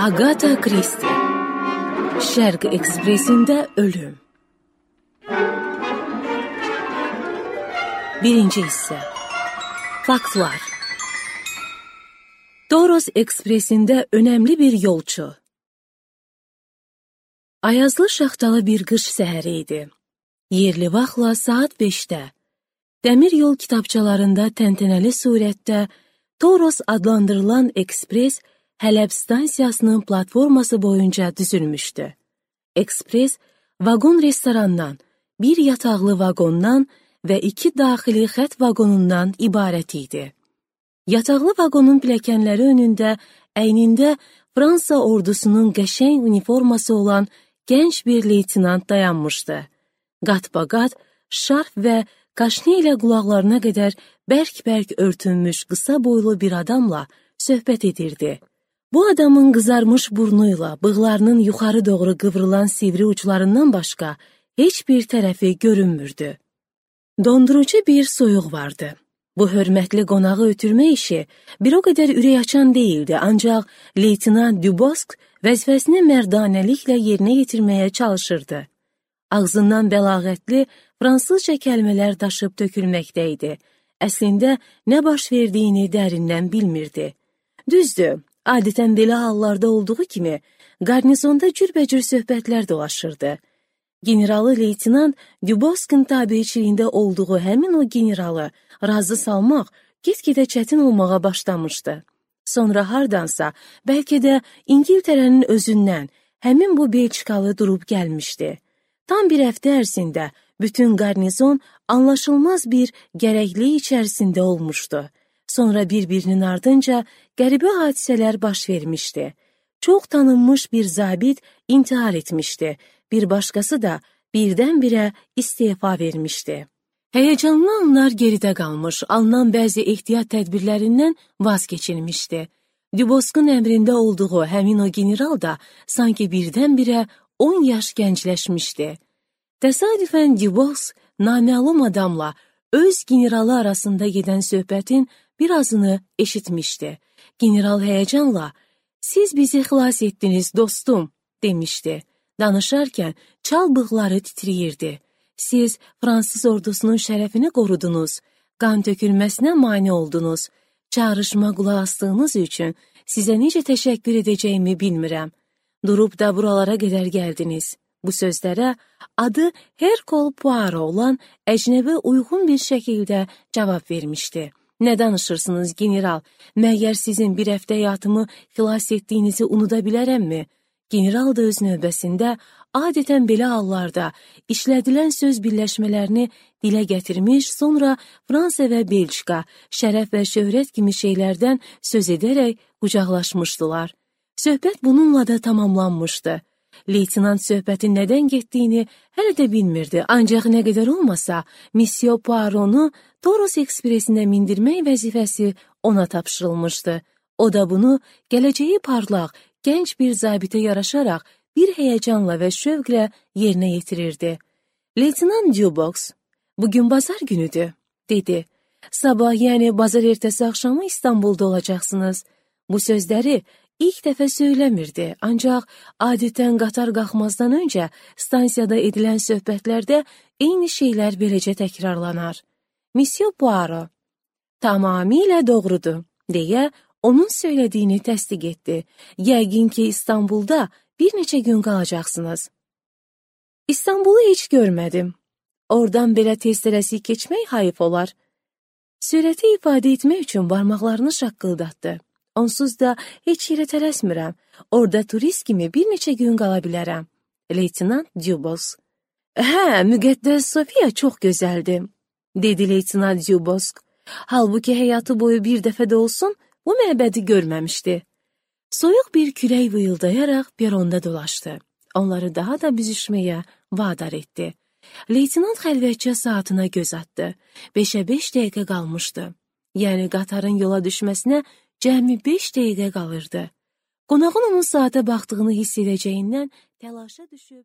Agatha Christie, Şərq Ekspresində ölüm. Birinci hissə. Faktlar. Toros Ekspresində önəmli bir yolçu. Ayazlı şaxtalı bir qış səhəri idi. Yerli vaxtla saat 5-də. Dəmir yol kitabçalarında təntənəli surətdə Toros adlandırılan ekspres Hələb stansiyasının platforması boyunca düzülmüşdü. Ekspres, vaqon restorandan, bir yataqlı vaqondan və 2 daxili xət vaqonundan ibarət idi. Yataqlı vaqonun pilləkənləri önündə, əynində Fransa ordusunun qəşəng uniforması olan gənc bir leytinant dayanmışdı. Qat-baqat, şarf və kaşne ilə qulaqlarına qədər bərk-bərk örtülmüş qısa boylu bir adamla söhbət edirdi. Bu adamın qızarmış burnuyla bığlarının yuxarı doğru qıvrılan sivri uçlarından başqa heç bir tərəfi görünmürdü. Dondurucu bir soyuq vardı. Bu hörmətli qonağı ötürmə işi bir o qədər ürək açan deyildi, ancaq Leytenant Dubosk vəzifəsini mərdanəliklə yerinə yetirməyə çalışırdı. Ağzından bəlağətli fransızca kəlmələr daşıb tökülməkdə idi. Əslində nə baş verdiyini dərindən bilmirdi. Düzdür, adətən belə hallarda olduğu kimi qarnizonda cürbəcür söhbətlər dolaşırdı. Generalı Leytenant Dubosk'ın tabiçiliyində olduğu həmin o generalı razı salmaq get-gedə çətin olmağa başlamışdı. Sonra hardansa, bəlkə də İngiltərənin özündən həmin bu Belçikalı durub gəlmişdi. Tam bir həftə ərzində bütün qarnizon anlaşılmaz bir gərəklik içərisində olmuşdu. Sonra bir-birinin ardınca qəribə hadisələr baş vermişdi. Çox tanınmış bir zabit intihar etmişdi. Bir başqası da birdən-birə istefa vermişdi. Həyəcanlı anlar geridə qalmış, alınan bəzi ehtiyat tədbirlərindən vaz keçilmişdi. Dubosk'un əmrində olduğu həmin o general da sanki birdən-birə 10 yaş gəncləşmişdi. Təsadüfən Dubosk naməlum adamla öz generalı arasında gedən söhbətin birazını eşitmişdi. General həyəcanla, "Siz bizi xilas etdiniz, dostum," demişdi. Danışarkən çal bığları titrəyirdi. "Siz Fransız ordusunun şərəfini qorudunuz, qan tökülməsinə mane oldunuz. Çağrışma qulaq asdığınız üçün sizə necə təşəkkür edəcəyimi bilmirəm. Durub da buralara qədər gəldiniz." Bu sözlərə adı Hercule Poirot olan əcnəbi uyğun bir şəkildə cavab vermişdi. "Nə danışırsınız, general? Məgər sizin bir həftə həyatımı xilas etdiyinizi unuda bilərəmmi?" General da öz növbəsində adətən belə hallarda işlədilən söz birləşmələrini dilə gətirmiş, sonra Fransa və Belçika, şərəf və şöhrət kimi şeylərdən söz edərək qucaqlaşmışdılar. Söhbət bununla da tamamlanmışdı. Leytenant söhbətin nədən getdiyini hələ də bilmirdi, ancaq nə qədər olmasa, Monsieur Poirot'u Toros Ekspresində mindirmək vəzifəsi ona tapşırılmışdı. O da bunu gələcəyi parlaq, gənc bir zabitə yaraşaraq bir həyəcanla və şövqlə yerinə yetirirdi. Leytenant Dubosk, "Bugün bazar günüdür," dedi. "Sabah, yəni bazar ertəsi axşamı İstanbulda olacaqsınız." Bu sözləri İlk dəfə söyləmirdi, ancaq adətən qatar qalxmazdan öncə stansiyada edilən söhbətlərdə eyni şeylər beləcə təkrarlanar. Monsieur Poirot, "Tamamilə doğrudur," deyə onun söylədiyini təsdiq etdi. "Yəqin ki, İstanbulda bir neçə gün qalacaqsınız." "İstanbulu heç görmədim. Oradan belə tez tələsik keçmək hayıf olar." Sürəti ifadə etmək üçün barmaqlarını şaqqıldatdı. "Onsuz da heç yerə tələsmirəm. Orada turist kimi bir neçə gün qala bilərəm." Leytenant Dubosk. "Hə, müqəddəs Sofiya çox gözəldir," dedi Leytenant Dubosk. Halbuki həyatı boyu bir dəfə də olsun bu məbədi görməmişdi. Soyuq bir külək vıyıldayaraq peronda dolaşdı. Onları daha da büzüşməyə vadar etdi. Leytenant xəlvətcə saatına göz atdı. 5-ə 5 dəqiqə qalmışdı. Yəni qatarın yola düşməsinə cəmi 5 dəqiqə qalırdı. Qonağın onun saata baxdığını hiss edəcəyindən təlaşa düşüb